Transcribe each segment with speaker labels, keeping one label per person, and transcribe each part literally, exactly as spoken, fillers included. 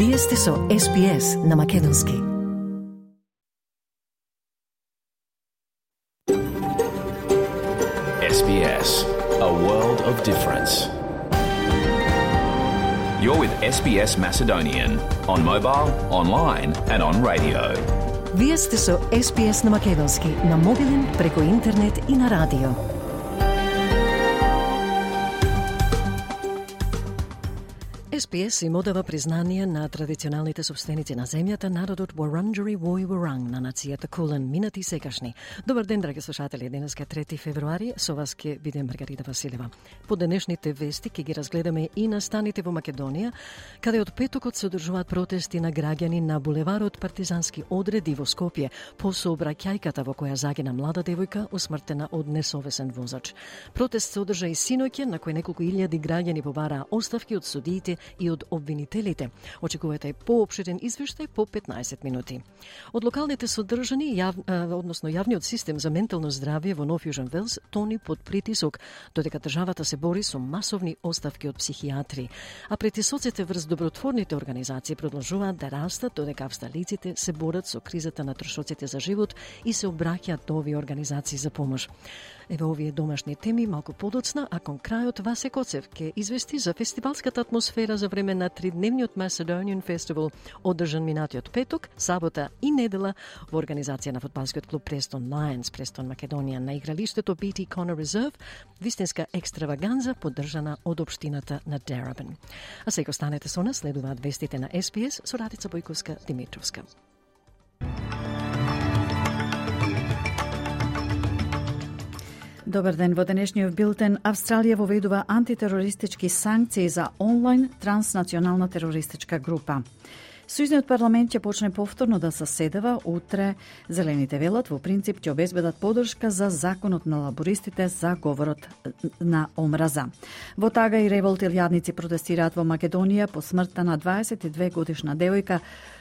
Speaker 1: Вие сте со Ес Би Ес на македонски.
Speaker 2: Ес Би Ес, a world of difference. You're with Ес Би Ес Macedonian on mobile, online and on radio.
Speaker 1: Вие сте со Ес Би Ес на македонски, на мобилен, преку интернет и на радио. Ес Би Ес им одава признание на традиционалните собственици на земјата, народот Wurundjeri Woi Wurrung на нацијата Кулен, минати и секашни. Добар ден, драги слушатели, денеска трети февруари, со вас ќе биде Маргарита Василева. По денешните вести ќе ги разгледаме и настаните во Македонија, каде од петокот се одржуваат протести на граѓани на булеварот Партизански одреди во Скопје по сообраќајката во која загина млада девојка усмртена од несовесен возач. Протест се одржа и синоќа, на кој неколку илјади граѓани побараа оставки од судиите и од обвинителите. Очекувате поопширен извештај по петнаесет минути. Од локалните содржани, јав, односно јавниот систем за ментално здравје во Нов Јужен Велс тони под притисок, додека државата се бори со масовни оставки од психијатри. А притисоците врз добротворните организации продолжуваат да растат, додека австралиците се борат со кризата на трошоците за живот и се обраќаат до овие организации за помош. Еве овие домашни теми малку подоцна, а кон крајот Васе Коцев ќе извести за фестивалската атмосфера за време на тридневниот Macedonian Festival, одржан минатиот петок, сабота и недела во организација на фудбалскиот клуб Preston Lions, Preston Македонија, на игралиштето Би Ти Connor Reserve, вистинска екстраваганза поддржана од општината на Darebin. А сега останете со нас, следуваат вестите на Ес Би Ес со Радица Бојковска-Димитровска.
Speaker 3: Добар ден, во денешниот билтен Австралија воведува антитерористички санкции за онлайн транснационална терористичка група. Сојузниот парламент ќе почне повторно да заседава утре. Зелените велат во принцип ќе обезбедат поддршка за законот на лабористите за говорот на омраза. Во тага и револт илјадници протестираат во Македонија по смртта на дваесет и две годишна девојка,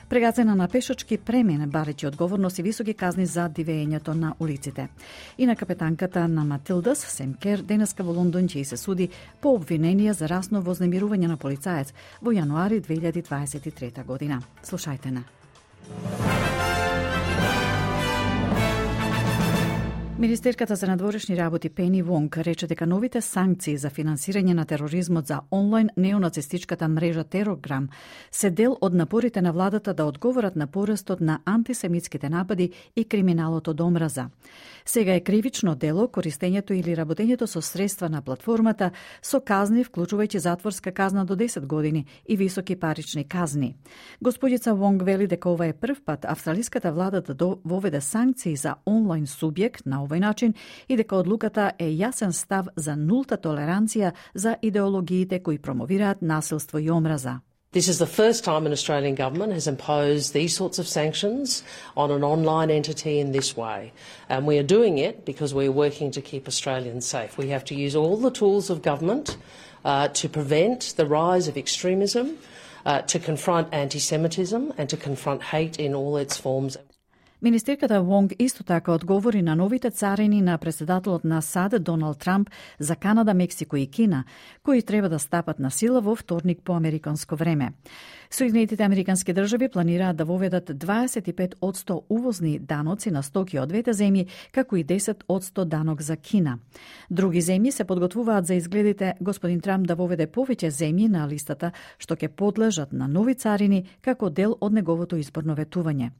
Speaker 3: прегацена на пешачки премин, барејќи одговорност и високи казни за дивењето на улиците. И на капетанката на Матилдас, Сем Кер, денеска во Лондон ќе се суди по обвиненија за расно вознемирување на полицаец во јануари две илјади дваесет и трета година. Слушајте на. Министерката за надворешни работи Пени Вонг рече дека новите санкции за финансирање на тероризмот за онлайн неонацистичката мрежа Терограм се дел од напорите на владата да одговорат на порастот на антисемитските напади и криминалот од омраза. Сега е кривично дело користењето или работењето со средства на платформата со казни, вклучувајќи затворска казна до десет години и високи парични казни. Господица Вонг вели дека ова е прв пат австралиската влада да воведе санкции за онлайн субјект на овој начин и дека одлуката е јасен став за нулта толеранција за идеологиите кои промовираат насилство и омраза.
Speaker 4: This is the first time an Australian government has imposed these sorts of sanctions on an online entity in this way. And we are doing it because we are working to keep Australians safe. We have to use all the tools of government uh, to prevent the rise of extremism, uh, to confront anti-Semitism and to confront hate in all its forms.
Speaker 3: Министерката Вонг исто така одговори на новите царини на председателот на САД Доналд Трамп за Канада, Мексико и Кина, кои треба да стапат на сила во вторник по американско време. Соединетите американски држави планираат да воведат дваесет и пет одсто увозни даноци на стоки од двете земји, како и десет одсто данок за Кина. Други земји се подготвуваат за изгледите господин Трамп да воведе повеќе земји на листата што ќе подлежат на нови царини како дел од неговото изборно ветување.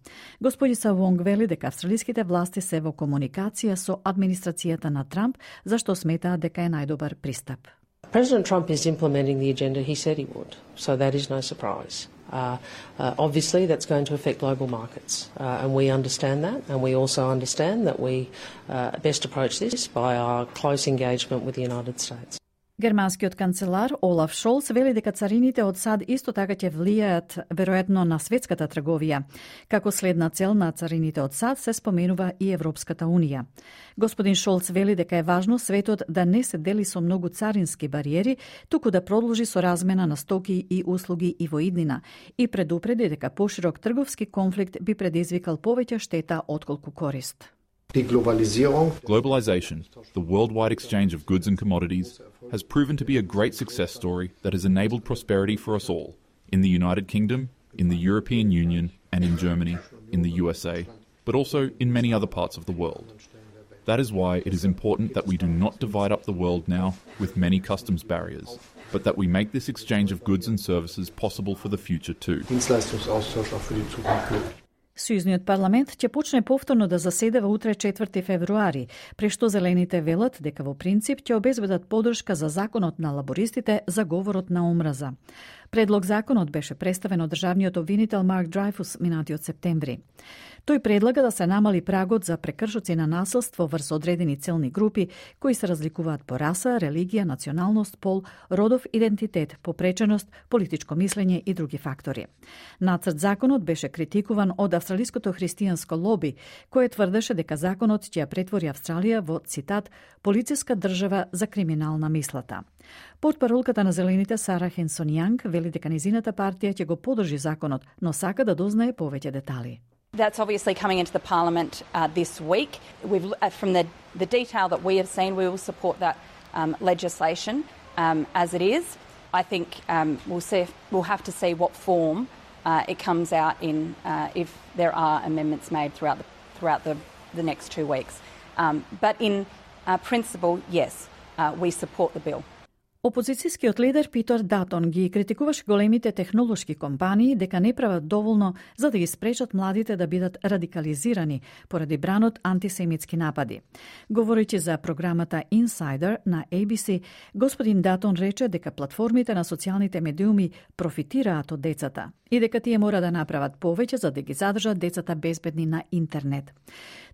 Speaker 3: Господица Вонг вели дека австралиските власти се во комуникација со администрацијата на Трамп, зашто сметаат дека е најдобар пристап.
Speaker 4: President Trump is implementing the agenda he said he would, so that is no surprise. Uh, uh, obviously, that's going to affect global markets, uh, and we understand that, and we also understand that we uh, best approach this by our close engagement with the United States.
Speaker 3: Германскиот канцелар Олаф Шолц вели дека царините од САД исто така ќе влијаат веројатно на светската трговија. Како следна цел на царините од САД се споменува и Европската унија. Господин Шолц вели дека е важно светот да не се дели со многу царински бариери, туку да продолжи со размена на стоки и услуги и во иднина, и предупреди дека поширок трговски конфликт би предизвикал повеќе штета отколку корист.
Speaker 5: Globalization, the worldwide exchange of goods and commodities, has proven to be a great success story that has enabled prosperity for us all in the United Kingdom, in the European Union and in Germany, in the U S A, but also in many other parts of the world. That is why it is important that we do not divide up the world now with many customs barriers, but that we make this exchange of goods and services possible for the future too.
Speaker 3: Сојузниот парламент ќе почне повторно да заседава утре четврти февруари, при што зелените велат дека во принцип ќе обезбедат поддршка за законот на лабористите за говорот на омраза. Предлог законот беше представен од државниот обвинител Марк Дрейфус минатиот септември. Тој предлага да се намали прагот за прекршоци на насилство врз одредени целни групи кои се разликуваат по раса, религија, националност, пол, родов идентитет, попреченост, политичко мислење и други фактори. Нацрт законот беше критикуван од австралиското христијанско лоби, кое тврдеше дека законот ќе ја претвори Австралија во, цитат, полициска држава за криминална мислата. Портпаролката на Зелените Сара Хенсон Јанг вели дека низината партија ќе го поддржи законот, но сака да дознае повеќе детали.
Speaker 6: That's obviously coming into the Parliament uh, this week. We've, uh, from the, the detail that we have seen, we will support that um, legislation um, as it is. I think um, we'll, see if, we'll have to see what form uh, it comes out in uh, if there are amendments made throughout the, throughout the, the next two weeks. Um, but in uh, principle, yes, uh, we support the bill.
Speaker 3: Опозицијскиот лидер Питер Датон ги критикуваше големите технолошки компании дека не прават доволно за да ги спречат младите да бидат радикализирани поради бранот антисемитски напади. Говорејќи за програмата Insider на A B C, господин Датон рече дека платформите на социјалните медиуми профитираат од децата и дека тие мора да направат повеќе за да ги задржат децата безбедни на интернет.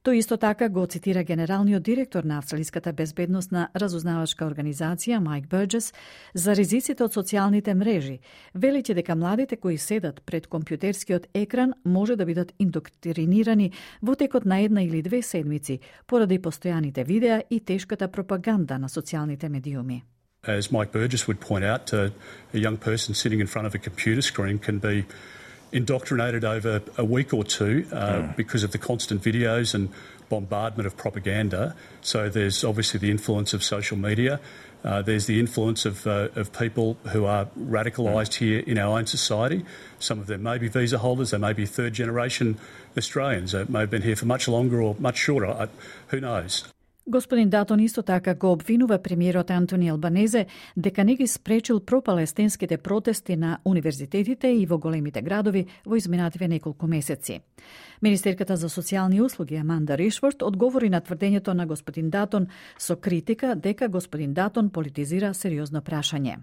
Speaker 3: Тој исто така го цитира генералниот директор на Австралиската безбедносна разузнавачка организација Майк Бурџес за ризиците од социјалните мрежи, велејќи дека младите кои седат пред компјутерскиот екран може да бидат индоктринирани во текот на една или две седмици поради постојаните видеа и тешката пропаганда на социјалните медиуми.
Speaker 7: As Mike Burgess would point out, uh, a young person sitting in front of a computer screen can be indoctrinated over a week or two uh, mm. because of the constant videos and bombardment of propaganda. So there's obviously the influence of social media. Uh, there's the influence of, uh, of people who are radicalised mm. here in our own society. Some of them may be visa holders, they may be third generation Australians, they may have been here for much longer or much shorter, I, who knows.
Speaker 3: Господин Датон исто така го обвинува премиерот Антони Албанезе дека не ги спречил пропалестинските протести на универзитетите и во големите градови во изминативе неколку месеци. Министерката за социјални услуги Аманда Ришфорд одговори на тврдењето на господин Датон со критика дека господин Датон политизира сериозно прашање.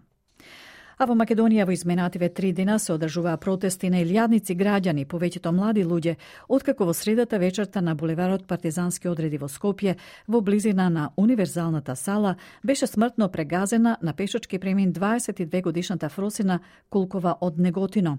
Speaker 3: А во Македонија во изминативе три дена се одржуваа протести на илјадници граѓани, повеќето млади луѓе, откако во средата вечерта на булеварот Партизански одреди во Скопје, во близина на универзалната сала, беше смртно прегазена на пешачки премин дваесет и две годишната Фросина Кулкова од Неготино.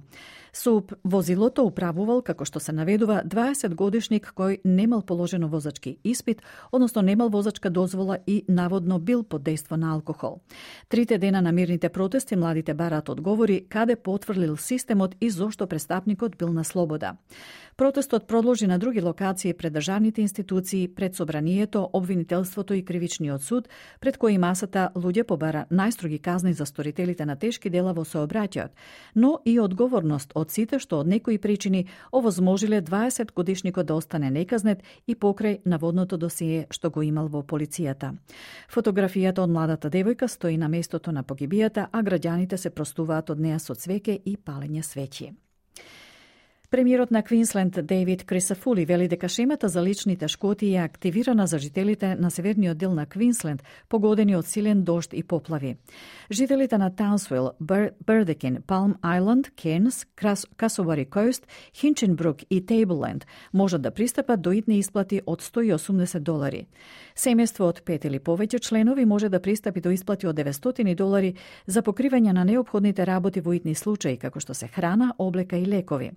Speaker 3: Со возилото управувал, како што се наведува, дваесет годишник кој немал положено возачки испит, односно немал возачка дозвола и наводно бил под дејство на алкохол. Трите дена на мирните протести младите бараат одговори каде потврлил системот и зошто престапникот бил на слобода. Протестот продолжи на други локации пред државните институции, пред собранието, обвинителството и кривичниот суд, пред кои масата луѓе побара најстроги казни за сторителите на тешки дела во сообраќајот, но и одговорност од сите што од некои причини овозможиле дваесет годишникот да остане неказнет и покрај наводното досие што го имал во полицијата. Фотографијата од младата девојка стои на местото на погибијата, а граѓаните се простуваат од неа со цвеќе и палење свеќи. Премиерот на Квинсленд Дейвид Крисафули вели дека шемата за личните шкоти е активирана за жителите на северниот дел на Квинсленд, погодени од силен дожд и поплави. Жителите на Таунсвил, Бердекин, Палм Ајланд, Кернс, Касовари Кост, Хинченбрук и Тейблленд можат да пристапат до итни исплати од сто и осумдесет долари. Семејство од пет или повеќе членови може да пристапи до исплати од деветстотини долари за покривање на неопходните работи во итни случаи, како што се храна, облека и лекови.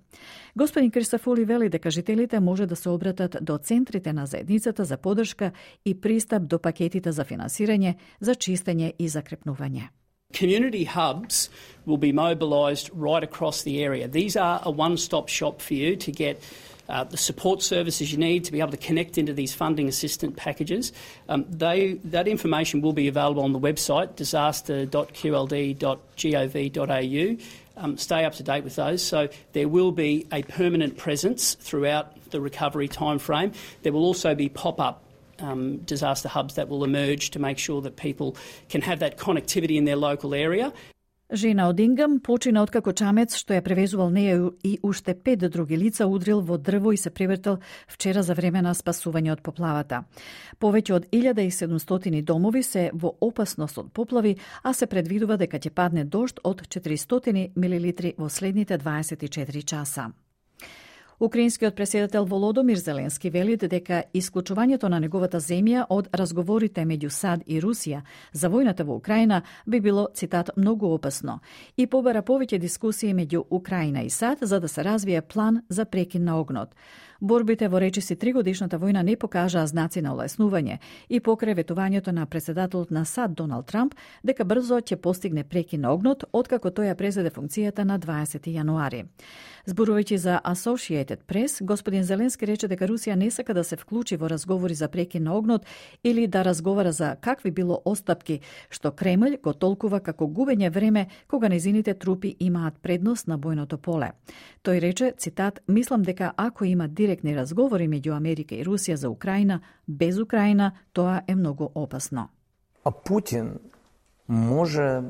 Speaker 3: Господин Кристофоли вели дека жителите може да се обратат до центрите на заедницата за поддршка и пристап до пакетите за финансирање, за чистење и закрепнување.
Speaker 8: Community hubs will be mobilised right across the area. These are a one-stop shop for you to get uh, the support services you need to be able to connect into these funding assistance packages. Um, they, that information will be available on the website, disaster dot q l d dot gov dot a u. Um, stay up to date with those. So there will be a permanent presence throughout the recovery timeframe. There will also be pop-up um, disaster hubs that will emerge to make sure that people can have that connectivity in their local area.
Speaker 3: Жена од Ингам почина откако чамец што ја превезувал неја и уште пет други лица удрил во дрво и се превртел вчера за време на спасување од поплавата. Повеќе од илјада и седумстотини домови се во опасност од поплави, а се предвидува дека ќе падне дожд од четиристотини милилитри во следните дваесет и четири часа. Украинскиот преседател Володомир Зеленски вели дека исклучувањето на неговата земја од разговорите меѓу САД и Русија за војната во Украина би било, цитат, многу опасно и побара повеќе дискусии меѓу Украина и САД за да се развие план за прекин на огнот. Борбите во речиси тригодишната војна не покажаа знаци на олеснување и покрај ветувањето на председателот на САД Доналд Трамп дека брзо ќе постигне прекин на огнот откако тој ја презеде функцијата на дваесети јануари. Зборувајќи за Associated Press, господин Зеленски рече дека Русија не сака да се вклучи во разговори за прекин на огнот или да разговара за какви било остапки, што Кремљ го толкува како губење време кога незините трупи имаат предност на бојното поле. Тој рече, цитат, мислам дека ако има директни разговори меѓу Америка и Русија за Украина, без Украина, тоа е многу опасно.
Speaker 9: А Путин може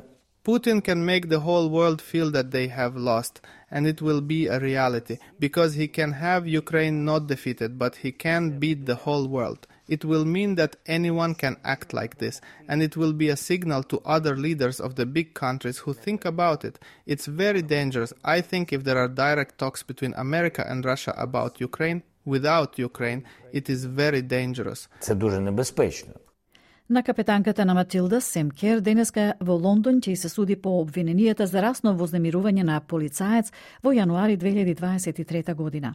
Speaker 10: Putin can make the whole world feel that they have lost, and it will be a reality, because he can have Ukraine not defeated, but he can beat the whole world. It will mean that anyone can act like this, and it will be a signal to other leaders of the big countries who think about it. It's very dangerous. I think if there are direct talks between America and Russia about Ukraine, without Ukraine, it is very dangerous.
Speaker 9: Це дуже небезпечно.
Speaker 3: На капетанката на Матилда Семкер денеска во Лондон ќе се суди по обвиненијата за расно вознемирување на полицаец во јануари две илјади дваесет и трета година.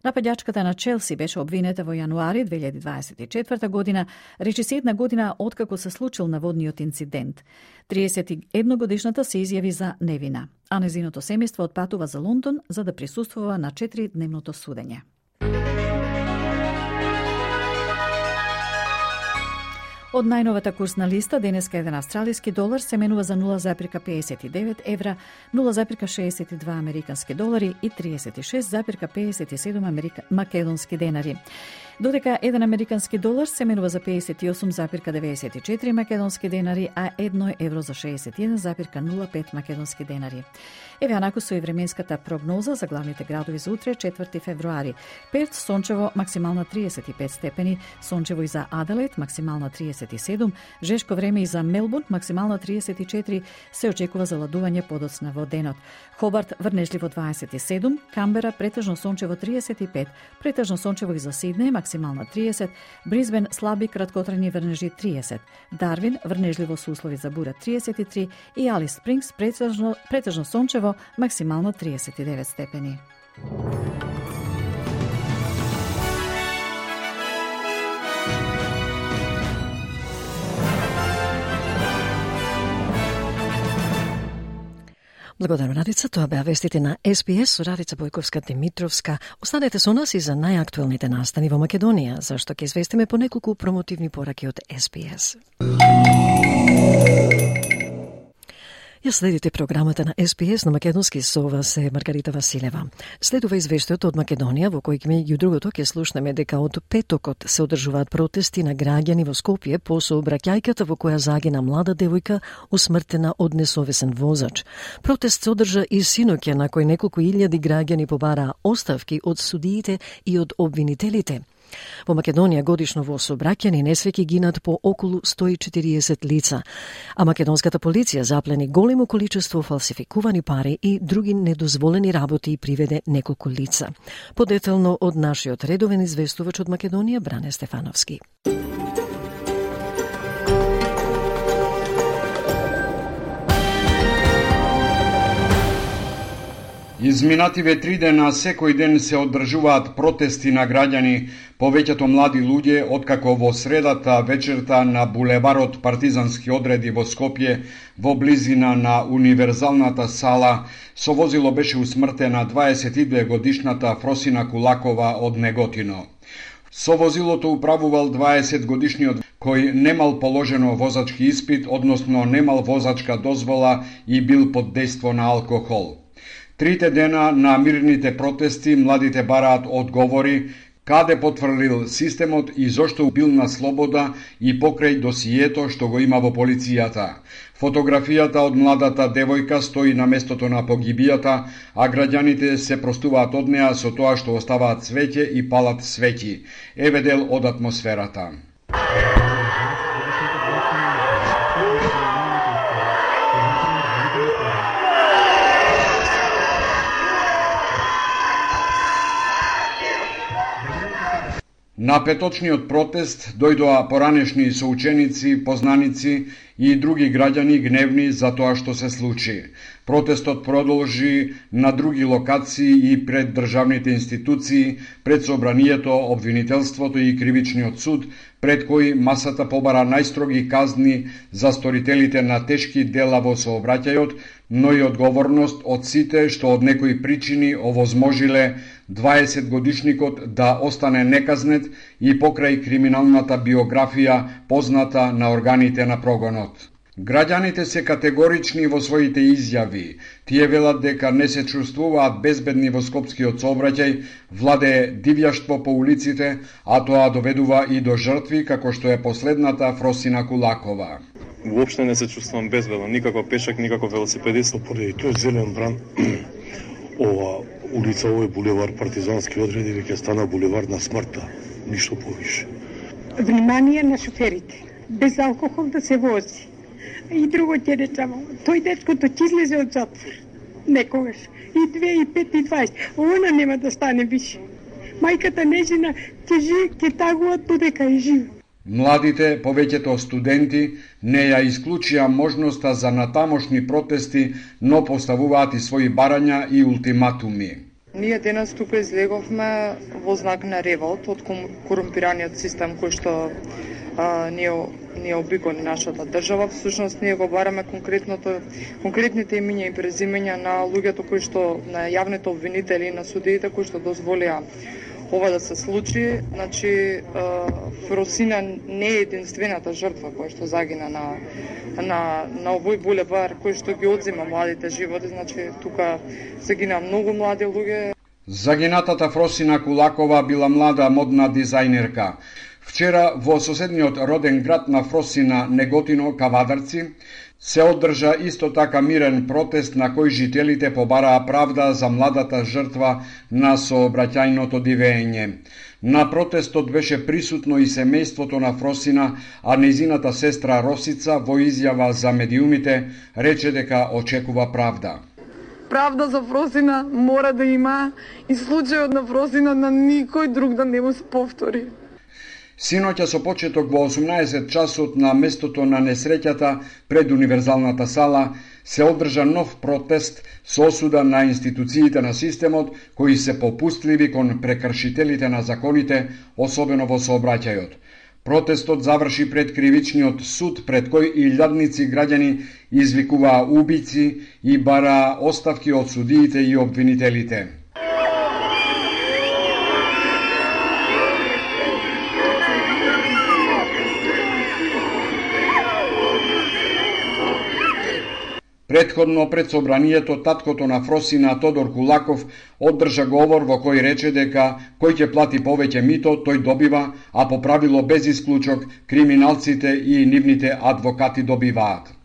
Speaker 3: Нападјачката на Челси беше обвинета во јануари две илјади дваесет и четврта година, речиси една година откако се случил наводниот инцидент. триесет и една годишната се изјави за невина, а незиното семејство отпатува за Лондон за да присуствува на четиридневното судење. Од најновата курсна листа, денеска еден австралиски долар се менува за нула запирка педесет и девет евра, нула запирка шеесет и два американски долари и триесет и шест запирка педесет и седум америка... македонски денари. Додека еден американски долар се менува за педесет и осум запирка деветдесет и четири македонски денари, а едно евро за шеесет и еден запирка нула пет македонски денари. Еве анаку со и временската прогноза за главните градови за утре, четврти февруари. Перт, сончево, максимална триесет и пет степени, сончево и за Аделаид, максимална триесет и седум, жешко време и за Мелбурн, максимална триесет и четири, се очекува заладување подоцна во денот. Хобарт, врнежливо дваесет и седум, Камбера, претежно сончево триесет и пет, претежно сончево и за Сиднеј, максимална триесет, Брисбен, слаби краткотрajни врнежи триесет, Дарвин, врнежливо со услови за бура триесет и три и Алис Спрингс, претежно, претежно сончево, максимално триесет и девет степени.
Speaker 1: Благодарам, Радица. Тоа беа вестите на Ес Би Ес со Радица Бојковска-Димитровска. Останете со нас и за најактуелните настани во Македонија, зашто ќе известиме по неколку промотивни пораки од Ес Би Ес. Ја следите програмата на Ес Би Ес на македонски, со вас е Маргарита Василева. Следува извештајот од Македонија, во кој меѓу другото ќе слушнеме дека од петокот се одржуваат протести на граѓани во Скопје по сообраќајката во која загина млада девојка усмртена од несовесен возач. Протест се одржа и синоќа, на кој неколку илјади граѓани побараа оставки од судиите и од обвинителите. Во Македонија годишно во сообраќајни несреќи гинат по околу сто и четириесет лица, а македонската полиција заплени големо количество фалсификувани пари и други недозволени работи и приведе неколку лица. Подетално од нашиот редовен известувач од Македонија Бране Стефановски.
Speaker 11: Изминативе три дена секој ден се одржуваат протести на граѓани, повеќето млади луѓе, откако во средата вечерта на булеварот партизански одреди во Скопје, во близина на универзалната сала, со возило беше усмртена дваесет и две годишната Фросина Кулакова од Неготино. Со возилото управувал дваесет годишниот кој немал положено возачки испит, односно немал возачка дозвола и бил под дејство на алкохол. Трите дена на мирните протести младите бараат одговори каде потврлил системот и зошто бил на слобода и покрај досието што го има во полицијата. Фотографијата од младата девојка стои на местото на погибијата, а граѓаните се простуваат од неа со тоа што оставаат свеќе и палат свеќи. Еве дел од атмосферата. На петочниот протест дојдоа поранешни соученици, познаници и други граѓани гневни за тоа што се случи. Протестот продолжи на други локации и пред државните институции, пред собранието, обвинителството и кривичниот суд, пред кои масата побара најстроги казни за сторителите на тешки дела во сообраќајот, но и одговорност од сите што од некои причини овозможиле дваесет годишникот да остане неказнет и покрај криминалната биографија позната на органите на прогонот. Граѓаните се категорични во своите изјави. Тие велат дека не се чувствуваат безбедни во скопскиот сообраќај, владее дивјаштво по улиците, а тоа доведува и до жртви како што е последната Фросина Кулакова.
Speaker 12: Воопште не се чувствувам безбедно, никако пешак, никако велосипедист.
Speaker 13: Поради тој зелен бран, ова улица, овој булевар партизански одреди веќе стана булевар на смртта, ништо повише.
Speaker 14: Внимание на шоферите, без алкохол да се вози. И друго ќе речам, тој дечкото ќе излезе од затвор, некогаш, и две, и пет, и дваесет, она нема да стане више. Мајката нежина ќе жи, ќе тагуваат додека е жива.
Speaker 11: Младите, повеќето студенти, не ја исклучија можноста за натамошни протести, но поставуваат и своји барања и ултиматуми.
Speaker 15: Ние денес тука излеговме во знак на револт од корумпираниот систем кој што а, не, не обиколи нашата држава. Всушност ние го бараме конкретното, конкретните имиња и презимења на луѓето кои што, на јавните обвинители, на судиите кои што дозволија ова да се случи. Значи, Фросина не е единствената жртва која што загина на, на, на овој булевар кој што ги одзема младите животи. Значи, тука загина многу млади луѓе.
Speaker 11: Загинатата Фросина Кулакова била млада модна дизајнерка. Вчера во соседниот роден град на Фросина, Неготино, Кавадарци, се одржа исто така мирен протест на кој жителите побараа правда за младата жртва на сообраќајното дивење. На протестот беше присутно и семејството на Фросина, а незината сестра Росица во изјава за медиумите рече дека очекува правда.
Speaker 16: Правда за Фросина мора да има и случајот на Фросина на никој друг да не му се повтори.
Speaker 11: Синоќа со почеток во осумнаесет часот на местото на несреќата пред универзалната сала се одржа нов протест со осуда на институциите на системот кои се попустливи кон прекршителите на законите, особено во сообраќајот. Протестот заврши пред кривичниот суд пред кој илјадници граѓани извикуваа убици и бараа оставки од судиите и обвинителите. Предходно пред собранието таткото на Фросина Тодор Кулаков одржа говор во кој рече дека кој ќе плати повеќе мито, тој добива, а по правило без исклучок криминалците и нивните адвокати добиваат.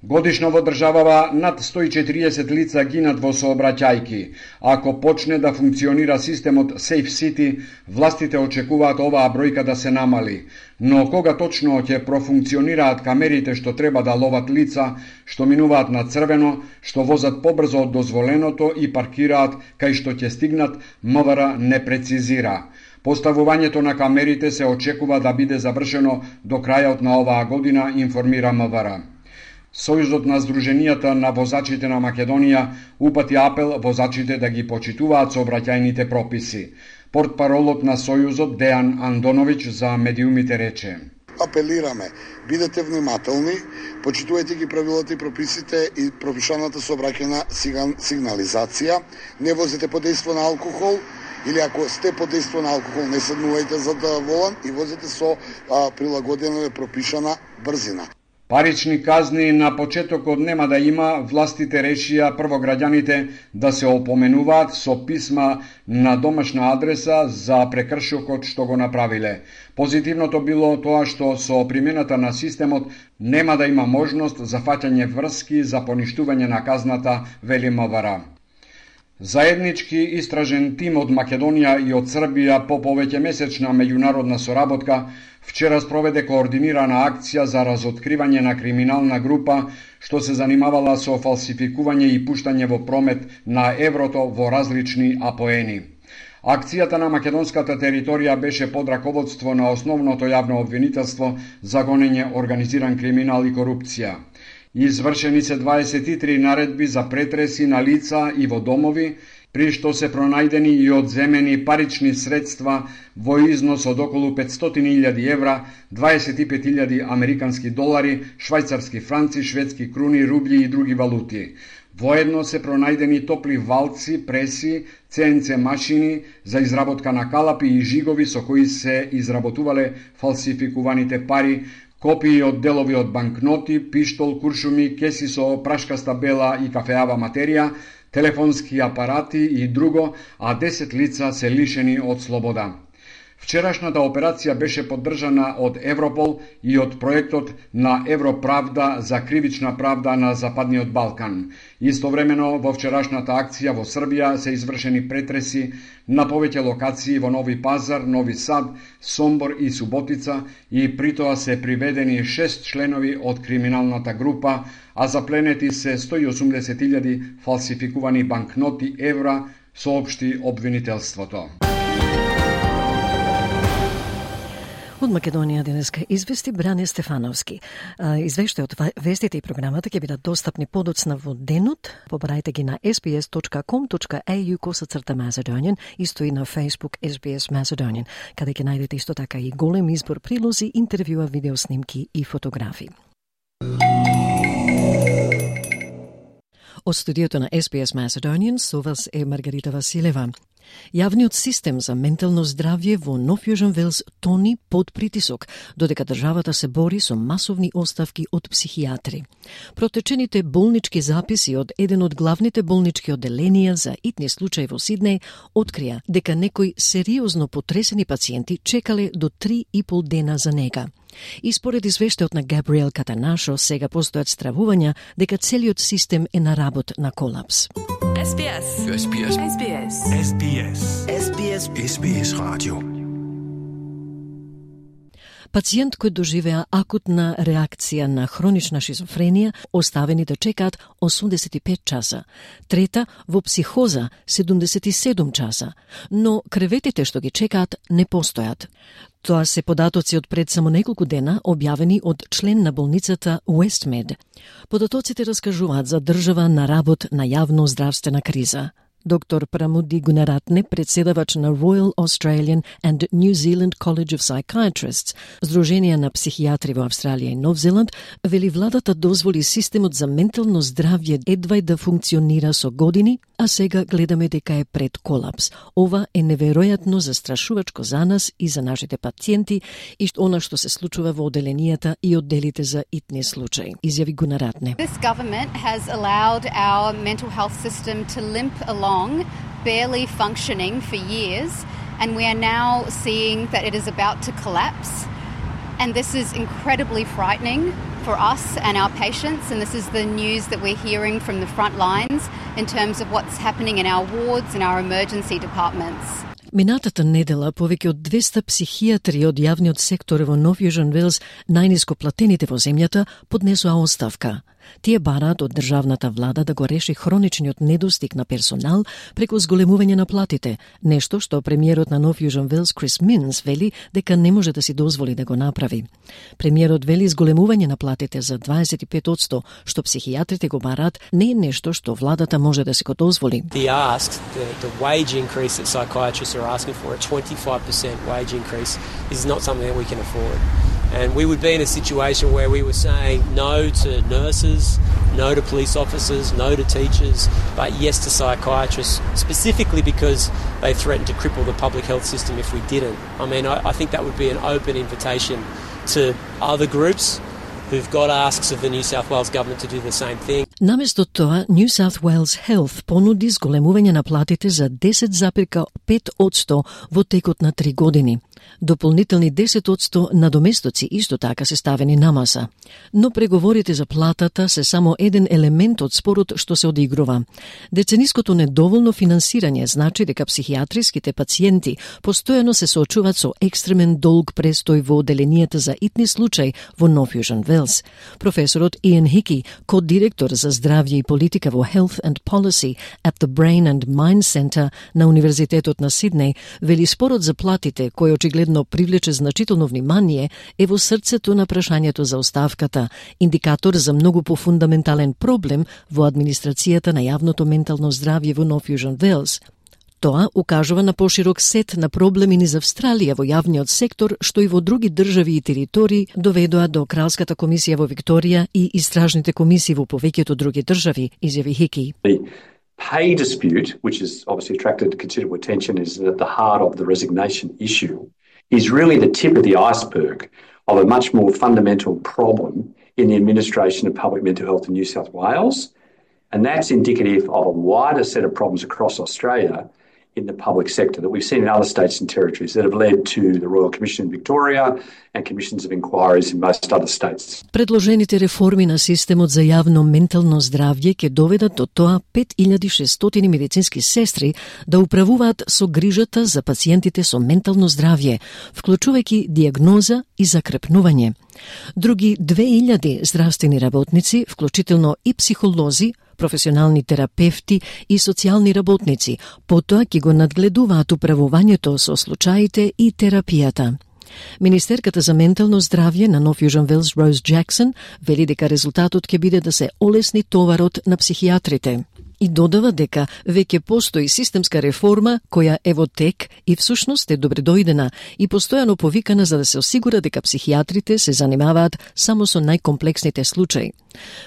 Speaker 11: Годишно во државава над сто и четириесет лица гинат во сообраќајки. Ако почне да функционира системот Safe City, властите очекуваат оваа бројка да се намали. Но кога точно ќе профункционираат камерите што треба да ловат лица, што минуваат на црвено, што возат побрзо од дозволеното и паркираат кај што ќе стигнат, МВР не прецизира. Поставувањето на камерите се очекува да биде завршено до крајот на оваа година, информира МВР. Сојузот на Сдруженијата на возачите на Македонија упати апел возачите да ги почитуваат сообраќајните прописи. Портпаролот на Сојузот Дејан Андоновиќ за медиумите рече:
Speaker 17: Апелираме, бидете внимателни, почитувајте ги правилата и прописите и пропишаната сообраќајна сигнализација, не возите под дејство на алкохол, или ако сте под дејство на алкохол, не седнувајте за да волан и возите со а, прилагодена и пропишана брзина.
Speaker 11: Парични казни на почетокот нема да има, властите решија прво граѓаните да се опоменуваат со писма на домашна адреса за прекршокот што го направиле. Позитивното било тоа што со примената на системот нема да има можност за фаќање врски за поништување на казната, вели МВР. Заеднички истражен тим од Македонија и од Србија по повеќемесечна меѓународна соработка вчера спроведе координирана акција за разоткривање на криминална група што се занимавала со фалсификување и пуштање во промет на еврото во различни апоени. Акцијата на македонската територија беше под раководство на основното јавно обвинителство за гонење организиран криминал и корупција. Извршени се дваесет и три наредби за претреси на лица и во домови, при што се пронајдени и одземени парични средства во износ од околу петстотини илјади евра, дваесет и пет илјади американски долари, швајцарски франци, шведски круни, рубљи и други валути. Воедно се пронајдени топли валци, преси, Це Ен Це машини за изработка на калапи и жигови со кои се изработувале фалсификуваните пари, копии од делови од банкноти, пиштол, куршуми, кеси со прашкаста бела и кафеава материја, телефонски апарати и друго, а десет лица се лишени од слобода. Вчерашната операција беше поддржана од Европол и од проектот на Европравда за кривична правда на Западниот Балкан. Истовремено во вчерашната акција во Србија се извршени претреси на повеќе локации во Нови Пазар, Нови Сад, Сомбор и Суботица и притоа се приведени шест членови од криминалната група, а запленети се сто и осумдесет илјади фалсификувани банкноти евра, соопшти обвинителството.
Speaker 1: Од Македонија денеска извести Бране Стефановски. Извештајот од вестите и програмата ќе бидат достапни подоцна во денот. Побарајте ги на ес би ес точка ком точка ей ю косацрта Macedonian, исто и на Facebook ес би ес Macedonian, каде ќе најдете исто така и голем избор прилози, интервјуа, видеоснимки и фотографии. Од студиото на ес би ес Macedonian со вас е Маргарита Василева. Јавниот систем за ментално здравје во Нов Јужен Велс тони под притисок, додека државата се бори со масовни оставки од психијатри. Протечените болнички записи од еден од главните болнички одделенија за итни случаи во Сиднеј открија дека некои сериозно потресени пациенти чекале до три и пол дена за нега. И според извештајот на Габриел Катанашо, сега постојат стравувања дека целиот систем е на работ на колапс.
Speaker 18: ес би ес. ес би ес. ес би ес. ес би ес. ес би ес. ес би ес радио.
Speaker 1: Пациент кој доживеа акутна реакција на хронична шизофренија оставени да чекаат осумдесет и пет часа, трета во психоза седумдесет и седум часа, но креветите што ги чекаат не постојат. Тоа се податоци од пред само неколку дена објавени од член на болницата Westmed. Податоците раскажуваат за држава на работ на јавно здравствена криза. Доктор Прамуди Гунаратне, председавач на Royal Australian and New Zealand College of Psychiatrists, Сдруженија на психијатри во Австралија и Нов Зеланд, вели владата дозволи системот за ментално здравје едвај да функционира со години, а сега гледаме дека е пред колапс. Ова е неверојатно застрашувачко за нас и за нашите пациенти и она што се случува во одделенијата и одделите за итни случаи, изјави Гунаратне.
Speaker 19: This government has allowed our mental health system to limp along, barely functioning for years, and we are now seeing that it is about to collapse. And this is incredibly frightening for us and our patients, and this is the news that we're hearing from the front lines in terms of what's happening in our wards and our emergency departments.
Speaker 1: Минатата недела повеќе од двеста психијатри од јавниот сектор во Нов Јужен Велс, најниско платените во земјата, поднесоа оставка. Тие бараат од државната влада да го реши хроничниот недостиг на персонал преку зголемување на платите, нешто што премиерот на North Южен Велс Крис Минс вели дека не може да си дозволи да го направи. Премиерот вели зголемување на платите за дваесет и пет одсто, што психијатрите го бараат, не е нешто што владата може да си го дозволи.
Speaker 20: The ask, the, the wage increase that psychiatrists are asking for, a twenty-five percent wage increase, is not something that we can afford. And we would be in a situation where we were saying no to nurses, no to police officers, no to teachers, but yes to psychiatrists, specifically because they threatened to cripple the public health system if we didn't. I mean, I, I think that would be an open invitation to other groups who've got asks of the New South Wales government to do the same thing.
Speaker 1: Наместо тоа, New South Wales Health понуди зголемување на платите за десет запирка пет одсто во текот на три години. Дополнителни десет одсто надоместоци исто така се ставени на маса. Но преговорите за платата се само еден елемент од спорот што се одигрува. Децениското недоволно финансирање значи дека психијатриските пациенти постојано се соочуваат со екстремен долг престој во оделенијата за итни случаи во North Южен Велс. Професорот Иан Хики, кодиректор за здравје и политика во Health and Policy at the Brain and Mind Center на Универзитетот на Сиднеј, вели спорот за платите, кој очигледно привлече значително внимание, е во срцето на прашањето за оставката, индикатор за многу пофундаментален проблем во администрацијата на јавното ментално здравје во North Южен Велс. Тоа укажува на поширок сет на проблеми низ Австралија во јавниот сектор, што и во други држави и територии доведоа до Кралската комисија во Викторија и истражните комисии во повеќето други држави, изјави Хики.
Speaker 21: Pay dispute, which has obviously attracted considerable attention, is at the heart of the resignation issue, is really the tip of the iceberg of a much more fundamental problem in the administration of public mental health in New South Wales, and that's indicative of a wider set of problems across Australia in the public sector that we've seen in other states and territories that have led to the Royal Commission in Victoria and commissions of inquiries in most other states.
Speaker 1: Предложените реформи на системот за јавно ментално здравје ќе доведат до тоа пет илјади и шестстотини медицински сестри да управуваат со грижата за пациентите со ментално здравје, вклучувајќи диагноза и закрепнување. Други две илјади здравствени работници, вклучително и психолози, професионални терапевти и социјални работници, потоа ќе го надгледуваат управувањето со случаите и терапијата. Министерката за ментално здравје на North Южен Велс Роуз Джексон вели дека резултатот ќе биде да се олесни товарот на психијатрите. И додава дека веќе постои системска реформа која е во тек и всушност е добредојдена и постојано повикана за да се осигура дека психијатрите се занимаваат само со најкомплексните случаи.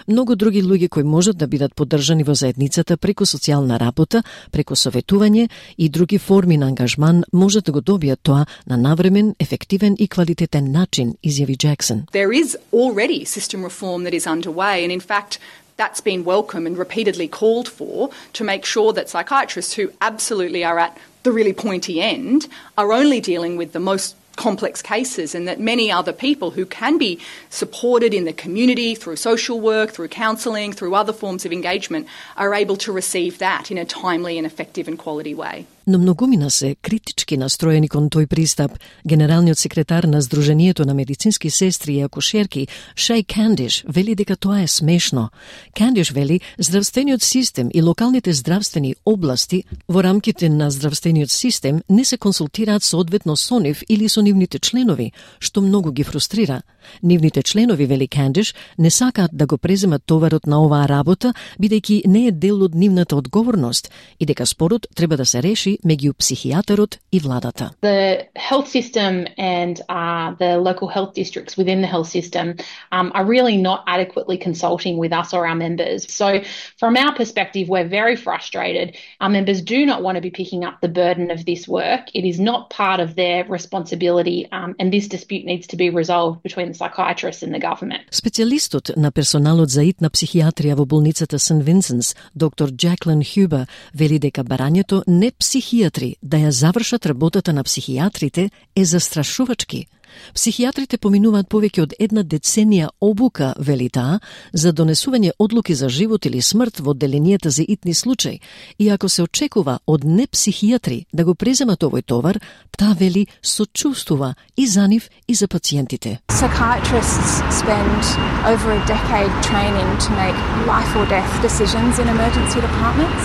Speaker 1: Многу други луѓе кои можат да бидат поддржани во заедницата преку социјална работа, преку советување и други форми на ангажман можат да го добијат тоа на навремен, ефективен и квалитетен начин, изјави Джексон.
Speaker 22: There is already system reform that is underway, and in fact that's been welcome and repeatedly called for to make sure that psychiatrists who absolutely are at the really pointy end are only dealing with the most complex cases, and that many other people who can be supported in the community through social work, through counselling, through other forms of engagement are able to receive that in a timely and effective and quality way.
Speaker 1: Но многумина се критички настроени кон тој пристап. Генералниот секретар на Сдруженијето на медицински сестри и акушерки, Шеј Кандиш, вели дека тоа е смешно. Кандиш вели, здравствениот систем и локалните здравствени области во рамките на здравствениот систем не се консултираат соодветно со нив или со нивните членови, што многу ги фрустрира. Нивните членови, вели Кандиш, не сакаат да го преземат товарот на оваа работа, бидејќи не е дел од нивната одговорност и дека спорот треба да се реши меѓу психијатарот и владата.
Speaker 23: The health system and uh, the local health districts within the health system um, are really not adequately consulting with us or our members. So from our perspective, we're very frustrated. Our members do not want to be picking up the burden of this work. It is not part of their responsibility, um, and this dispute needs to be resolved between the psychiatrists and the government.
Speaker 1: Специјалистот на персоналот за итна психијатрија во болницата Сент Винсенс, доктор Джаклин Хюбер, вели дека барањето не психијатри психијатри да ја завршат работата на психијатрите е застрашувачки. Психијатрите поминуваат повеќе од една деценија обука, вели таа, за донесување одлуки за живот или смрт во одделенијата за итни случаи. И ако се очекува од непсихијатри да го преземат овој товар, таа вели сочувствува и за нив и за пациентите.
Speaker 2: Psychiatrists spend over a decade training to make life or death decisions in emergency departments,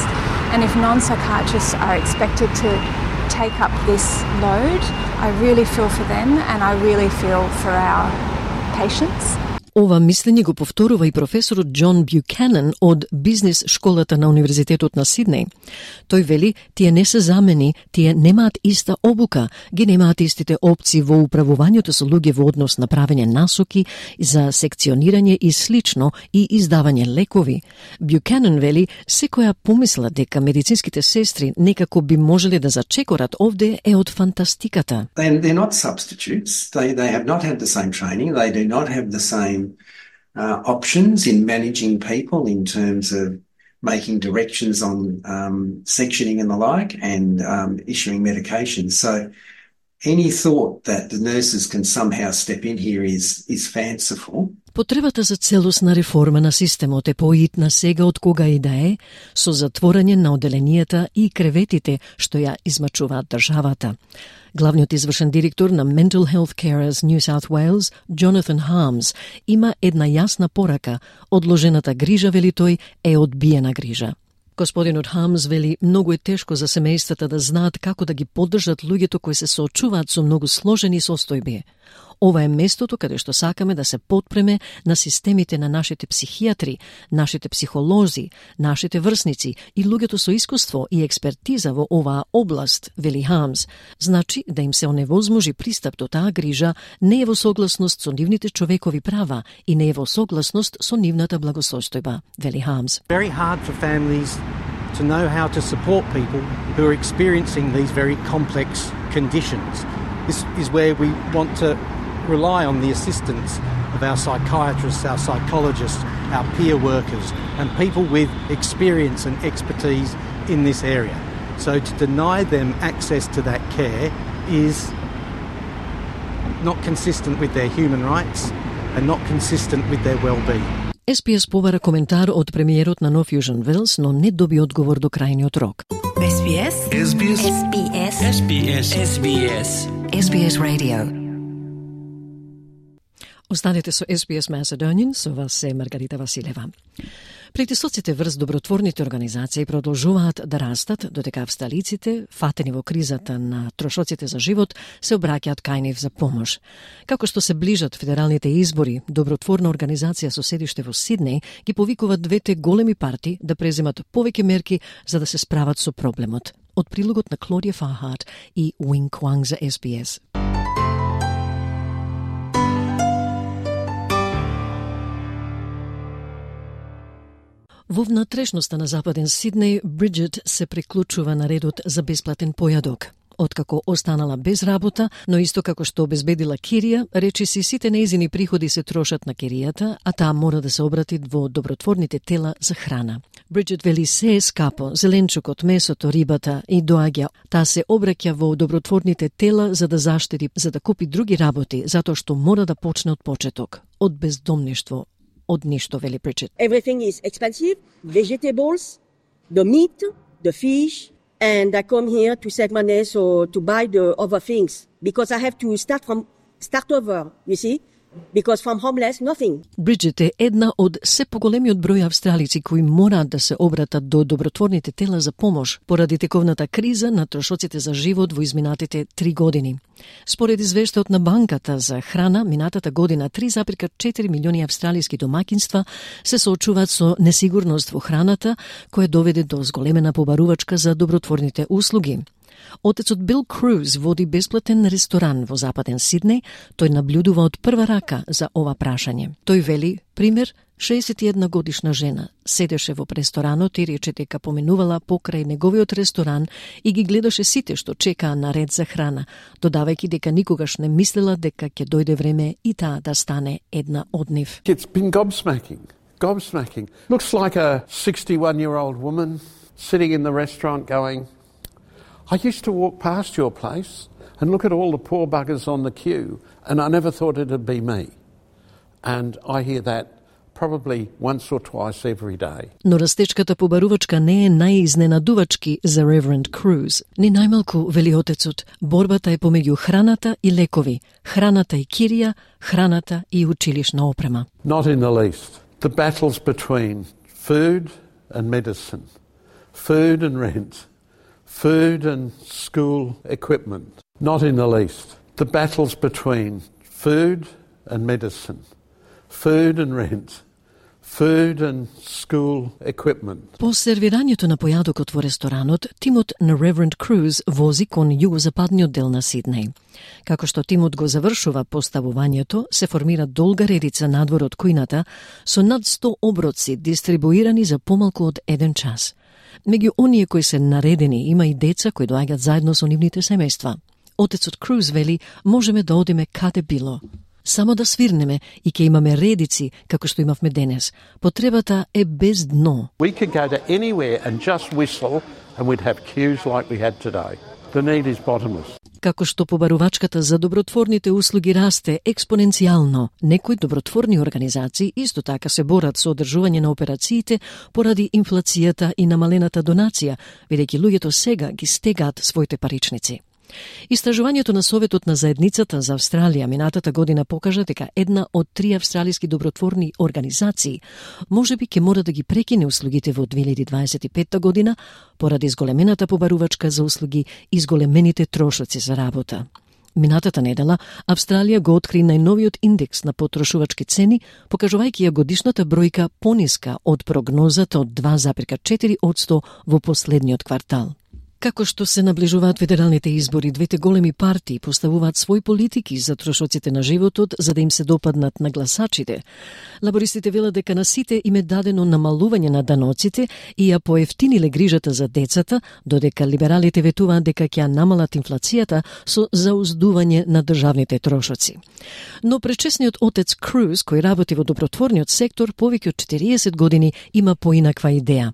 Speaker 2: and if non-psychiatrists are expected to take up this load, I really feel for them and I really feel for our patients.
Speaker 1: Ова мислење го повторува и професорот Џон Бјукенен од бизнис школата на Универзитетот на Сиднеј. Тој вели, тие не се замени, тие немаат иста обука, ги немаат истите опции во управувањето со луѓе во однос на правење насоки за секционирање и слично и издавање лекови. Бјукенен вели, секоја помисла дека медицинските сестри некако би можеле да зачекорат овде е од фантастиката.
Speaker 4: They, they're not substitutes. They, they have not had the same training. They do not have the same Uh, options in managing people in terms of making directions on um, sectioning and the like, and um, issuing medications. So any thought that the nurses can somehow step in here is, is fanciful.
Speaker 1: Потребата за целосна реформа на системот е поитна сега од кога и да е, со затворање на одделенијата и креветите што ја измачуваат државата. Главниот извршен директор на Mental Health Carers New South Wales, Jonathan Harms, има една јасна порака: одложената грижа, вели тој, е одбиена грижа. Господинот Хамс вели, многу е тешко за семејствата да знаат како да ги поддржат луѓето кои се соочуваат со многу сложени состојби. Ова е местото каде што сакаме да се потпреме на системите на нашите психијатри, нашите психолози, нашите врсници и луѓето со искуство и експертиза во оваа област, вели Хамс. Значи да им се оневозможи пристап до таа грижа не е во согласност со нивните човекови права и не е во согласност со нивната благосостојба, вели Хамс.
Speaker 5: Very hard for families to know how to support people who are experiencing these very complex conditions. This is where we want to rely on the assistance of our psychiatrists, our psychologists, our peer workers, and people with experience and expertise in this area. So to deny them access to that care is not consistent with their human rights and not consistent with their well-being.
Speaker 1: Ес Пи Ес побара коментар од премиерот на Нов Јужен Велс, но не доби одговор до крајниот рок.
Speaker 18: Ес Би Ес. Ес Би Ес. Ес Би Ес. Ес Би Ес. Ес Би Ес.
Speaker 1: Ес Би Ес Radio. Останете со Ес Би Ес Macedonian, со вас се Маргарита Василева. Притисоците врз добротворните организации продолжуваат да растат, додека австралиците, фатени во кризата на трошоците за живот, се обраќаат кај нив за помош. Како што се ближат федералните избори, добротворна организација со седиште во Сиднеј ги повикуваат двете големи парти да преземат повеќе мерки за да се справат со проблемот. Од прилогот на Клодија Фархарт и Wing Kwang за Ес Би Ес. Во внатрешноста на западен Сиднеј, Бриджит се приклучува на редот за бесплатен појадок. Откако останала без работа, но исто како што обезбедила кирија, речи си сите нејзини приходи се трошат на киријата, а таа мора да се обрати во добротворните тела за храна. Бриджит вели се е скапо, зеленчукот, месото, рибата и доаѓа. Таа се обраќа во добротворните тела за да заштеди, за да купи други работи, затоа што мора да почне од почеток, од бездомништво. Од ништо, вели Бриджит.
Speaker 24: Everything is expensive, vegetables, the meat, the fish, and I come here to save money so to buy the other things because I have to start from start over, you see? Because from homeless, nothing.
Speaker 1: Бриджит е една од се поголемиот број австралици кои мораат да се обратат до добротворните тела за помош поради тековната криза на трошоците за живот во изминатите три години. Според извештајот на банката за храна, минатата година три зарез четири милиони австралиски домаќинства се соочуваат со несигурност во храната, која доведе до зголемена побарувачка за добротворните услуги. Отецот Бил Круз води бесплатен ресторан во западен Сиднеј. Тој наблюдува од прва рака за ова прашање. Тој вели, пример, шеесет и една годишна жена седеше во ресторанот и рече дека поминувала покрај неговиот ресторан и ги гледаше сите што чекаа на ред за храна, додавајќи дека никогаш не мислела дека ќе дојде време и таа да стане една од нив.
Speaker 25: It's been gobsmacking. Gobsmacking. Looks like a sixty-one-year-old woman sitting in the restaurant going, I used to walk past your place and look at all the poor buggers on the queue, and I never thought it'd be me. And I hear that probably once or twice every day.
Speaker 1: Но растечката побарувачка не е најизненадувачки за Reverend Cruz. Ни најмалку, вели отецот, борбата е помеѓу храната и лекови, храната и кирија, храната и училишна опрема.
Speaker 25: Not in the least. The battles between food and medicine, food and rent, food and school equipment. Not in the least. The battles between food and medicine, food and rent, food and school equipment.
Speaker 1: По сервирањето на појадокот во ресторанот, тимот на Reverend Cruz вози кон југозападниот дел на Сиднеј. Како што тимот го завршува поставувањето, се формира долга редица надвор од кујната со над сто оброци дистрибуирани за помалку од еден час. Меѓу оние кои се наредени има и деца кои доаѓаат заедно со нивните семејства. Отецот Круз вели, можеме да одиме каде било. Само да свирнеме и ќе имаме редици, како што имавме денес. Потребата е без дно.
Speaker 25: We could go to anywhere and just whistle and we'd have queues like we had today. The need is bottomless.
Speaker 1: Како што побарувачката за добротворните услуги расте експоненцијално, некои добротворни организации исто така се борат со одржување на операциите поради инфлацијата и намалената донација, бидејќи луѓето сега ги стегаат своите паричници. Истражувањето на Советот на заедницата за Австралија минатата година покажа дека една од три австралиски добротворни организации можеби ќе мора да ги прекине услугите во две илјади дваесет и петта година поради изголемената побарувачка за услуги и изголемените трошоци за работа. Минатата недела Австралија го откри најновиот индекс на потрошувачки цени, покажувајќи ја годишната бројка пониска од прогнозата од два зарез четири одсто во последниот квартал. Како што се наближуваат федералните избори, двете големи партии поставуваат своји политики за трошоците на животот за да им се допаднат на гласачите. Лабористите велат дека на сите им е дадено намалување на даноците и ја поевтиниле грижата за децата, додека либералите ветуваат дека ќе намалат инфлацијата со зауздување на државните трошоци. Но пречесниот отец Круз, кој работи во добротворниот сектор повеќе од четириесет години, има поинаква идеја.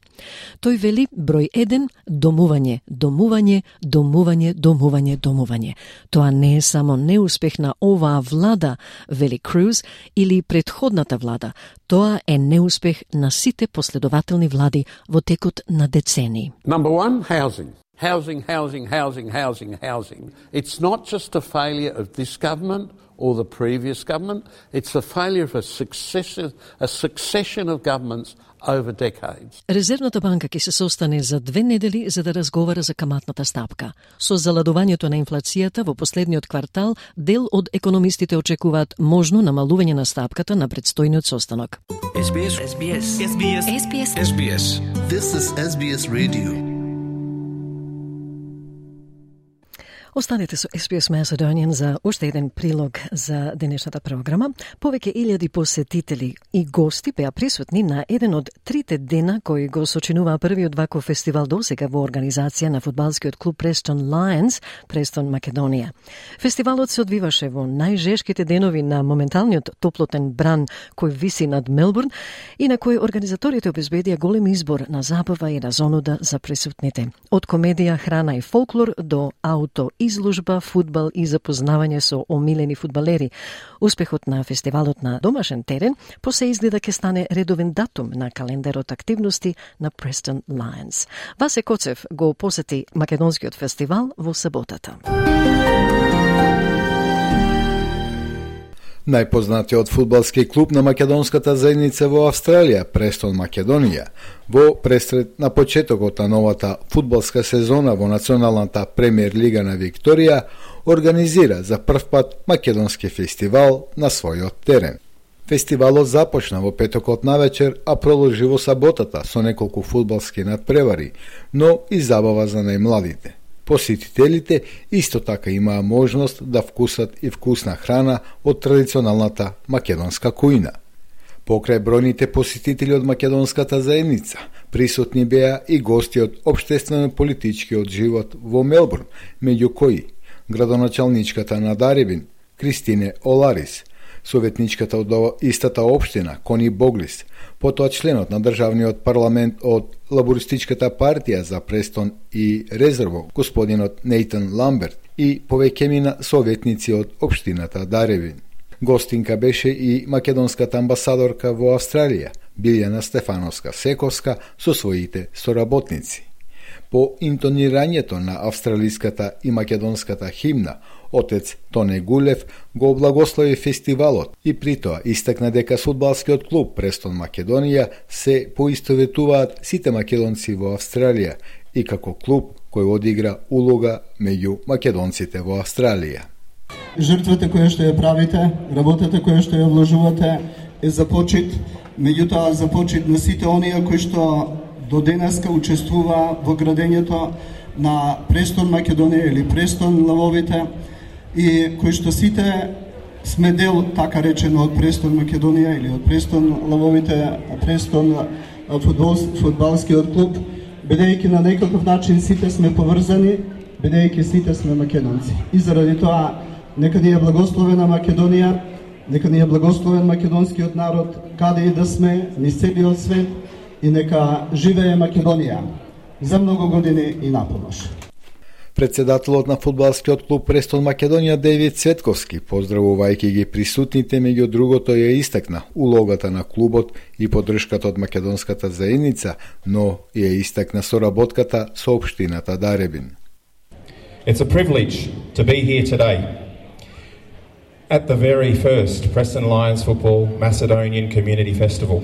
Speaker 1: Тој вели број еден домување, домување, домување, домување, домување. Тоа не е само неуспех на оваа влада, вели Круз, или предходната влада. Тоа е неуспех на сите последователни влади во текот на децении.
Speaker 25: Number one, housing. Housing, housing, housing, housing, housing. It's not just a failure of this government or the previous government. It's a failure of a successive, a succession of governments over decades.
Speaker 1: Резервната банка ќе се состане за две недели за да разговара за каматната стапка. Со заладувањето на инфлацијата во последниот квартал, дел од економистите очекуваат можно намалување на стапката на предстојниот состанок.
Speaker 18: S B S S B S S B S S B S S B S This is S B S Radio.
Speaker 1: Останете со S B S Macedonian за уште еден прилог за денешната програма. Повеќе илјади посетители и гости беа присутни на еден од трите дена кои го сочинуваа првиот ваков фестивал досега во организација на фудбалскиот клуб Preston Lions, Престон, Македонија. Фестивалот се одвиваше во најжешките денови на моменталниот топлотен бран кој виси над Мелбурн и на кој организаторите обезбедија голем избор на забава и разонуда за присутните. Од комедија, храна и фолклор до ауто изложба, фудбал и запознавање со омилени фудбалери. Успехот на фестивалот на домашен терен посе изгледа ќе стане редовен датум на календарот активности на Preston Lions. Васе Коцев го посети македонскиот фестивал во саботата.
Speaker 6: Најпознатиот фудбалски клуб на македонската заедница во Австралија, Престон, Македонија, во пресред на почетокот на новата фудбалска сезона во Националната премиер лига на Викторија, организира за прв пат македонски фестивал на својот терен. Фестивалот започна во петокот навечер, а продолжи во саботата со неколку фудбалски надпревари, но и забава за најмладите. Посетителите исто така имаа можност да вкусат и вкусна храна од традиционалната македонска кујна. Покрај бројните посетители од македонската заедница, присутни беа и гости од општествено-политичкиот живот во Мелбурн, меѓу кои градоначалничката на Дарибин, Кристине Оларис, Советничката од истата општина, Кони Боглис, потоа членот на државниот парламент од Лабористичката партија за Престон и Резерво, господинот Нейтан Ламберт, и повеќемина советници од општината Даревин. Гостинка беше и македонската амбасадорка во Австралија, Билјана Стефановска-Сековска, со своите соработници. По интонирањето на австралиската и македонската химна, отец Тоне Гулев го облагослови фестивалот и при тоа истакна дека фудбалскиот клуб Престон Македонија се поистоветуваат сите македонци во Австралија и како клуб кој одигра улога меѓу македонците во Австралија.
Speaker 3: Жртвата која што ја правите, работата која што ја вложувате е за почит, меѓутоа за почит на сите оние кои што до денеска учествува во градењето на Престон Македонија или Престон Лавовите и кои што сите сме дел, така речено, од Престон Македонија или од Престон Лавовите, Престон фудбал, фудбалскиот клуб, бидејќи на некаков начин сите сме поврзани, бидејќи сите сме македонци. И заради тоа, нека ни е благословена Македонија, нека ни е благословен македонскиот народ, каде и да сме, низ целиот свет, и нека живее Македонија за многу години и напомош.
Speaker 6: Председателот на фудбалскиот клуб Престон Македонија Девид Цветковски, поздравувајќи ги присутните, меѓу другото ја истакна улогата на клубот и поддршката од македонската заедница, но ја истакна соработката со општината Даребин.
Speaker 7: It's a privilege to be here today at the very first Preston Lions Football Macedonian Community Festival.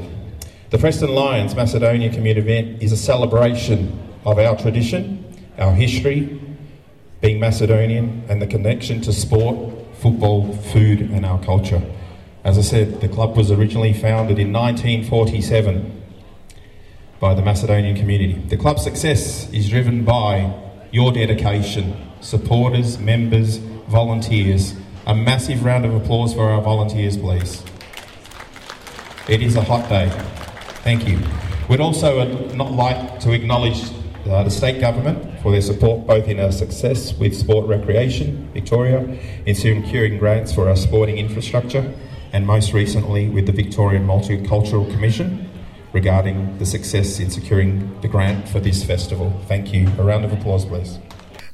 Speaker 7: The Preston Lions Macedonia Community event is a celebration of our tradition, our history, being Macedonian, and the connection to sport, football, food, and our culture. As I said, the club was originally founded in nineteen forty-seven by the Macedonian community. The club's success is driven by your dedication, supporters, members, volunteers. A massive round of applause for our volunteers, please. It is a hot day. Thank you. We'd also not like to acknowledge uh, the state government for their support both in our success with Sport Recreation Victoria, in securing grants for our sporting infrastructure, and most recently with the Victorian Multicultural Commission regarding the success in securing the grant for this festival. Thank you. A round of applause, please.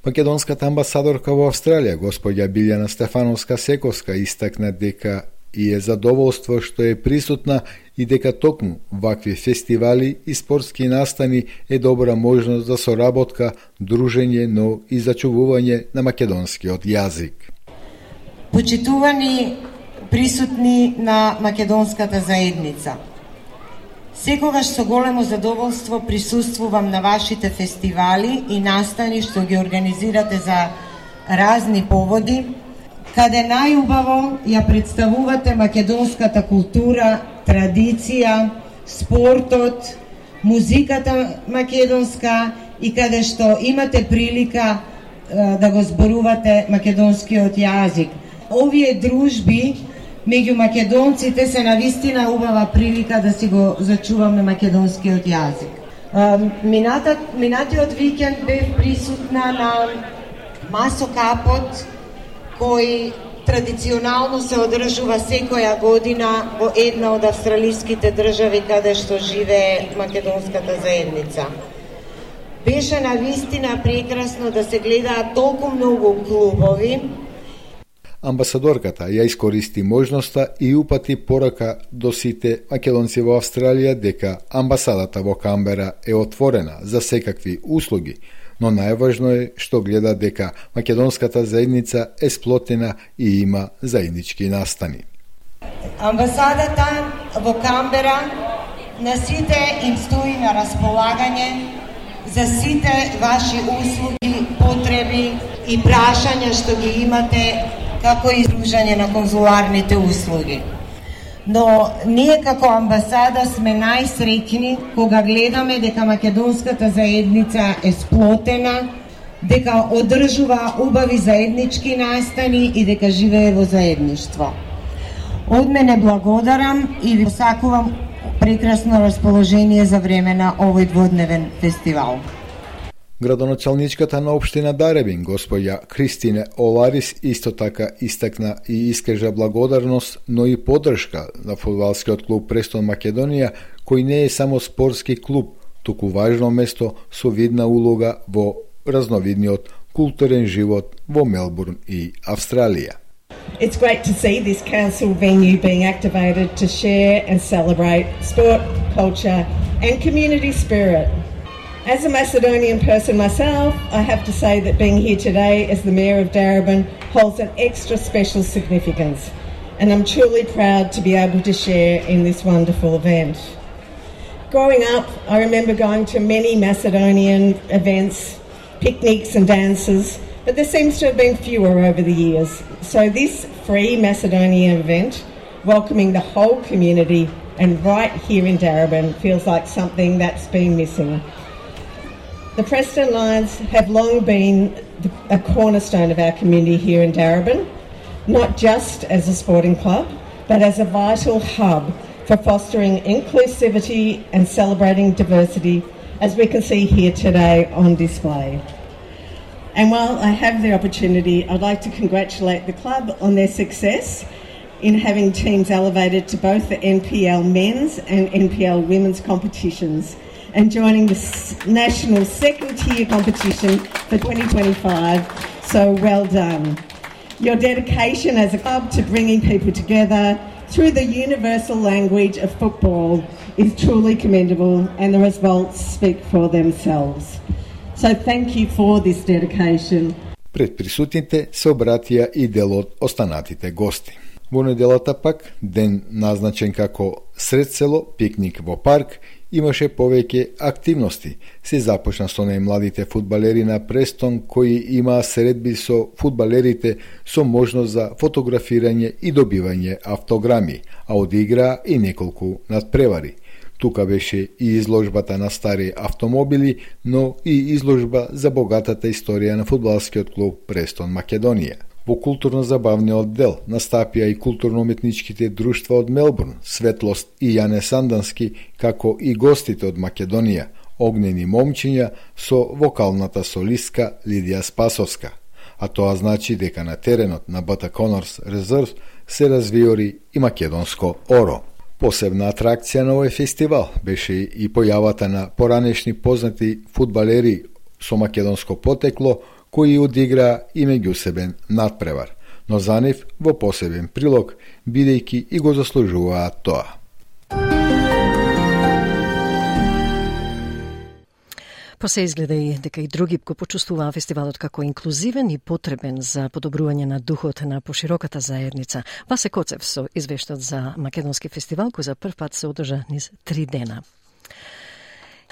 Speaker 6: Македонската амбасадорка во Австралија, господја Билјана Стефановска-Сековска, истакна дека и е задоволство што е присутна и дека токму вакви фестивали и спортски настани е добра можност за соработка, дружење, но и зачувување на македонскиот јазик.
Speaker 8: Почитувани присутни на македонската заедница, секогаш со големо задоволство присуствувам на вашите фестивали и настани што ги организирате за разни поводи, каде најубаво ја представувате македонската култура, традиција, спортот, музиката македонска и каде што имате прилика е, да го зборувате македонскиот јазик. Овие дружби меѓу македонците се навистина убава прилика да си го зачуваме македонскиот јазик. Минатат, минатиот викенд бев присутна на Масокапот, кој традиционално се одржува секоја година во една од австралиските држави каде што живее македонската заедница. Беше навистина прекрасно да се гледаат толку многу клубови.
Speaker 6: Амбасадорката ја искористи можноста и упати порака до сите македонци во Австралија дека амбасадата во Камбера е отворена за секакви услуги, но најважно е што гледа дека македонската заедница е сплотена и има заеднички настани.
Speaker 8: Амбасадата во Камбера на сите им стои на располагање за сите ваши услуги, потреби и прашања што ги имате, како и издружање на конзуларните услуги. Но ние како амбасада сме најсреќни кога гледаме дека македонската заедница е сплотена, дека одржува убави заеднички настани и дека живее во заедништво. Од мене благодарам и ви посакувам прекрасно расположение за време на овој дводневен фестивал.
Speaker 6: Градоначалничката на општина Даребин, господја Кристине Оларис, исто така истакна и искажа благодарност, но и поддршка на фудбалскиот клуб Престон Македонија, кој не е само спортски клуб, туку важно место со видна улога во разновидниот културен живот во Мелбурн и Австралија.
Speaker 9: It's great to see this council venue being activated to share and celebrate sport, culture and community spirit. As a Macedonian person myself, I have to say that being here today as the Mayor of Darebin holds an extra special significance, and I'm truly proud to be able to share in this wonderful event. Growing up, I remember going to many Macedonian events, picnics and dances, but there seems to have been fewer over the years. So this free Macedonian event, welcoming the whole community and right here in Darebin, feels like something that's been missing. The Preston Lions have long been a cornerstone of our community here in Darebin, not just as a sporting club, but as a vital hub for fostering inclusivity and celebrating diversity, as we can see here today on display. And while I have the opportunity, I'd like to congratulate the club on their success in having teams elevated to both the N P L men's and N P L women's competitions, and joining the national second-tier competition for twenty twenty-five, so well done. Your dedication as a club to bringing people together through the universal language of football is truly commendable, and the results speak for themselves. So thank you for this dedication.
Speaker 6: Пред присутните се обратија и дел од останатите гости. Во неделата пак, ден назначен како сред село, пикник во парк, имаше повеќе активности. Се започна со најмладите фудбалери на Престон, кои имаа средби со фудбалерите со можност за фотографирање и добивање автограми, а одиграа и неколку надпревари. Тука беше и изложбата на стари автомобили, но и изложба за богатата историја на фудбалскиот клуб Престон Македонија. Во културно-забавниот дел настапија и културно-уметничките друштва од Мелбурн, Светлост и Јане Сандански, како и гостите од Македонија, огнени момчиња со вокалната солистка Лидија Спасовска. А тоа значи дека на теренот на Бата Конорс Резерв се развиори и македонско оро. Посебна атракција на овој фестивал беше и појавата на поранешни познати фудбалери со македонско потекло, кои одиграа и меѓусебен надпревар, но за нив во посебен прилог, бидејќи и го заслужуваат тоа.
Speaker 1: Па се изгледа и дека и други го почувствуваа фестивалот како инклузивен и потребен за подобрување на духот на пошироката заедница. Васе Коцев со извештат за македонски фестивал, кој за прв пат се одржа низ три дена.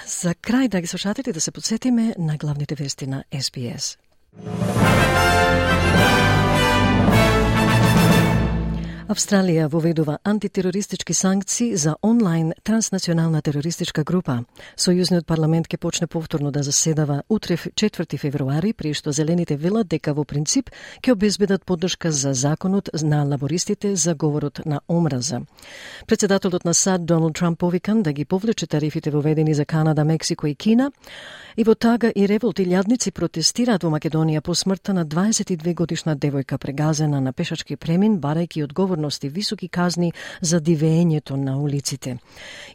Speaker 1: За крај, драги слушатели, да се подсетиме на главните вести на Ес Би Ес. Австралија воведува антитерористички санкции за онлайн транснационална терористичка група. Сојузниот парламент ќе почне повторно да заседава утре четврти февруари, при што зелените велат дека во принцип ќе обезбедат поддршка за законот на лабористите за говорот на омраза. Председателот на САД Доналд Трамп повикан да ги повлече тарифите воведени за Канада, Мексико и Кина, и во тага и револт илјадници протестираат во Македонија по смртта на дваесет и две годишна девојка прегазена на пешачки премин, барајќи одговорност и високи казни за дивеењето на улиците.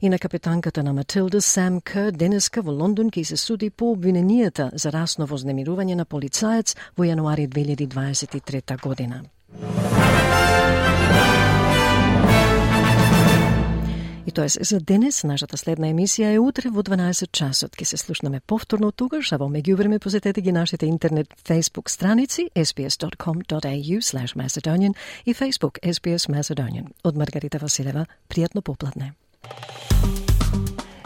Speaker 1: И на капетанката на Матилда, Сам Кер, денеска во Лондон ќе се суди по обвиненијата за расно вознемирување на полицаец во јануари две илјади дваесет и трета година. И тоа е за денес. Нашата следна емисија е утре во дванаесет часот. Ке се слушнаме повторно тогаш, а во меѓувреме посетете ги нашите интернет Facebook страници ес би ес dot com dot a u slash Macedonian и Facebook Ес Би Ес Macedonian. Од Маргарита Василева, пријатно попладне.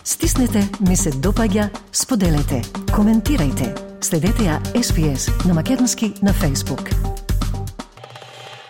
Speaker 1: Стиснете, ми се допаѓа, споделете, коментирајте. Следете ја Ес Би Ес на македонски на Facebook.